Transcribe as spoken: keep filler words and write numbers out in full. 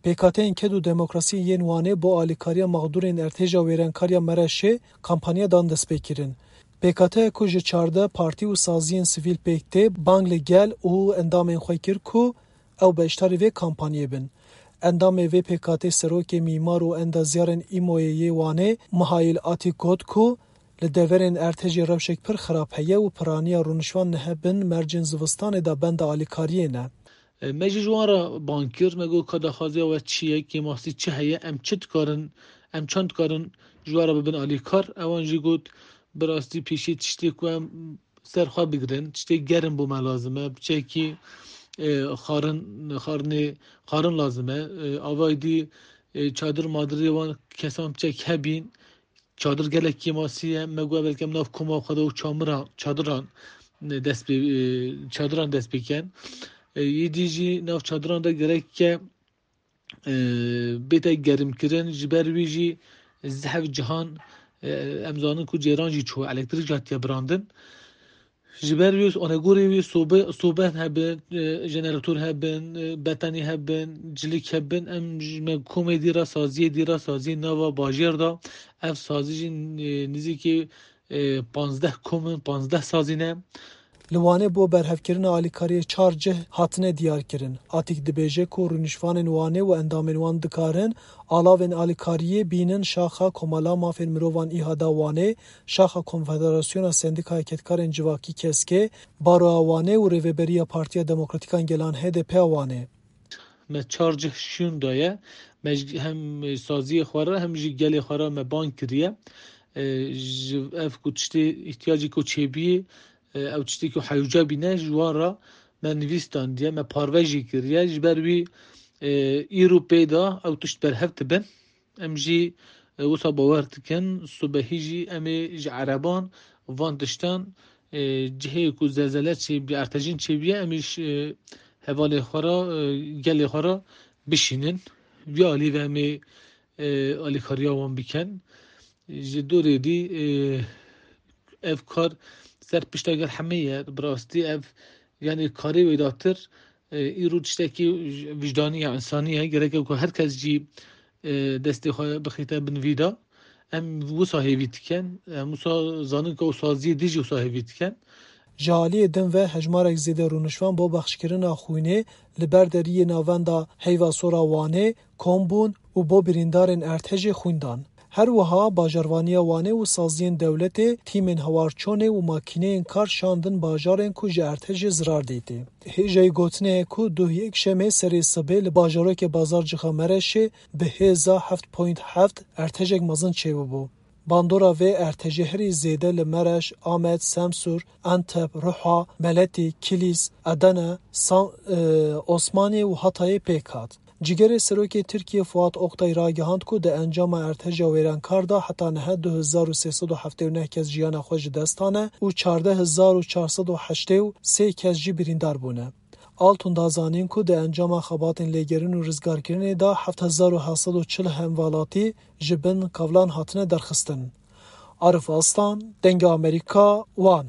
Pêkhateyên Ked û Demokrasiyê yên Wanê bo alîkariya mexdûrên erdhêja wêrenkariya Mereşê kampanya dan destpêkirin. Pêkhateya ku ji çardeh partî û saziyên sivîl pêk tê, bang li gel û endamên xwe kir ku ew beşdarî vê kampanyê bin. Endamê vê pêkhatê serokê mîmar û endazyarên îmoyê yê Wanê Mihail Atîk got ku li deverên erdhejê rewşek pir xirab heye û piraniya rûniştvan niha bin mercên zivistanê de benda alîkariyê ne. E, me jî ji wan re bang kir, me got ka daxwaziya we çi ye, kêmasî çi heye, em çi dikarin, em çend dikarin ji we re bibin alîkar. Ewan jî got, bi rastî pêşî tiştê ku em ser xwe bigirin, tiştê germ bo me lazim e, biçekî, e, xarin, xarinê, xarin lazim e. E, avayî dî, e, çadir madirê wan kesan biçek hebîn, çadir gelek kêmasî ye. Me got belke em nav koma xwe de û çamira, çadiran, e, dest pê, e, çadiran dest pê ken. E, yê dî jî nav çadiran de gerek ke, e, bête germkirin. Ji ber wî jî zehf cihan, e, em zanin ku cêran jî çû, elektrîk jî hatiye birandin. Ji ber wî onegorê wî sobe, sobe hebin, e, jenerator hebin, e, betanî hebin, cilik hebin, em ji me komê dî re saziyê dî re saziyê nava bajêr de ev sazî jî, e, nizîkî, e, panzdeh kom in, panzdeh sazî ne. Li Wanê bo berhevkirina alîkariyê çar cih hatine diyarkirin. Atîk dibêje ku rûnişvanên Wanê û endamên wan dikarin alavên alîkariyê bînin şaxa Komala Mafên Mirovan ÎHDA Wanê, şaxa Konfederasyona Sendîkaya Kedkarên Civakî KESKê, Baroya Wanê û Rêveberiya Partiya Demokratîk a Gelan HDP a Wanê. Me çar cih şûn daye. Me ji hem saziyê xwe re hem jî gelê xwe re me bang kiriye. E, ji ev ku tiştê îhtiyacê ku çêbîyê, e, ew tiştê ku hewce bîne ji wan re me nivîs dandiye, me parve jî kiriye. Ji ber wî, e, îro pê de ew tişt berhev dibin. Em jî, e, wisa bawer dikin, subehî jî em ê ji ereban van tiştan, e, cihê ku zelzele çêbî, ertejîn çêbîye, em ê ji, e, hevalê xwe re, e, gelê xwe re bişînin. Vî alî ve em ê, e, alîkariya wan bikin. Ji dorê dî, e, ev kar ser pişta gel hemê ye. Bi rastî ev, yanî karê wê datir, e, îro tiştekî wijdanî ye, însanî ye. Gerek e ku her kes jî, e, destê xwe bixîte bin vî de. Em wisa hêvî dikin. Em wisa zanin ku ew saziyê dî jî wisa hêvî dikin. Ji aliyê din ve hejmarek zêde rûnişvan bo bexşkirina xwînê li ber deriyê navenda Heyva Sor a Wanê kom bûn û bo birîndarên erdhejê xwîn dan. Her wiha bajarvaniya Wanê û saziyên dewletê tîmên hewarçonê û makîneyên kar şandin bajarên ku ji erdhejê zirar dîtî. Hêjayî gotinê ye ku duh yekşemê serê sibê li bajarokê Bazarcixê Mereşê bi hêza heft point heft erdhejek mezin çêbûbû. Bandora vê erdhejê herî zêde li Mereş, Amed, Semsûr, Enteb, Ruha, Meletî, Kilîs, Edene, San-, e, Osmanî û Hatayê pêk hat. Cîgerê Serokê Tirkiyê Fuat Oktay ragihand ku di encama erdheja wêrenkar de heta niha du hezar û sê sed û heftê û neh kes jiyana xwe ji dest dane û çardeh hezar û çar sed û heştê û sê kes jî birîndar bûne. Altun da zanîn ku di encama xebatên lêgerîn û rizgarkirinê de heft hezar û heft sed û çil hemwelatî ji bin kevlan hatine derxistin. Arif Aslan, Dengê Amerîka, Wan.